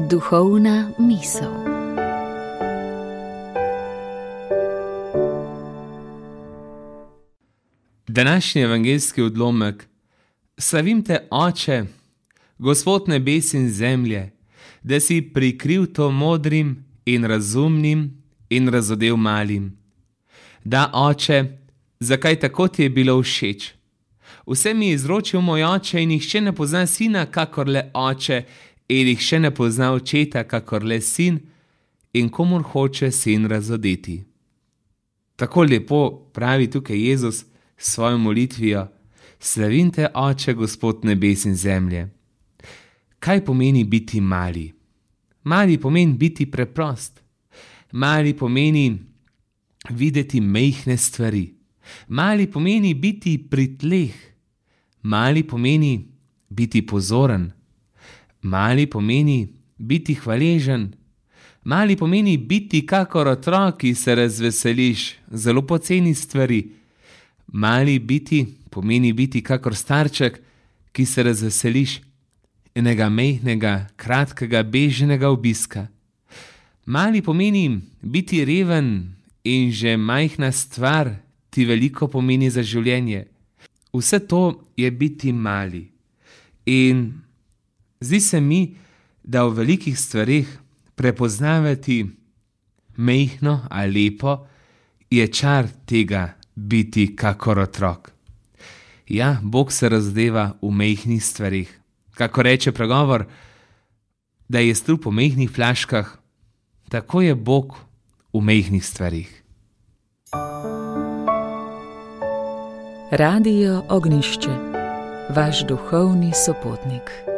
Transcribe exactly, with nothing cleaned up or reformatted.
Duhovna misel. Današnji evangeljski odlomek. Slavim te, Oče, Gospod nebes in zemlje, da si prikril to modrim in razumnim in razodel malim. Da, Oče, zakaj tako ti je bilo všeč? Vse mi je izročil moj Oče in nihče ne pozna sina, kakor le Oče, in nihče ne pozna očeta, kakor le sin, in komur hoče sin razodeti. Tako lepo pravi tukaj Jezus s svojo molitvijo: Slavim te, Oče, Gospod nebes in zemlje. Kaj pomeni biti mali? Mali pomeni biti preprost. Mali pomeni videti majhne stvari. Mali pomeni biti pri tleh. Mali pomeni biti pozoren. Mali pomeni biti hvaležen. Mali pomeni biti kakor otrok, ki se razveseliš, zelo poceni stvari. Mali biti pomeni biti kakor starček, ki se razveseliš enega majhnega, kratkega, bežnega obiska. Mali pomeni biti reven in že majhna stvar ti veliko pomeni za življenje. Vse to je biti mali. In zdi se mi, da v velikih stvareh prepoznavati majhno ali lepo je čar tega biti kakor otrok. Ja, Bog se razdeva v majhnih stvareh. Kako reče pregovor, da je strup v majhnih flaškah, tako je Bog v majhnih stvareh. Radio Ognjišče, vaš duhovni sopotnik.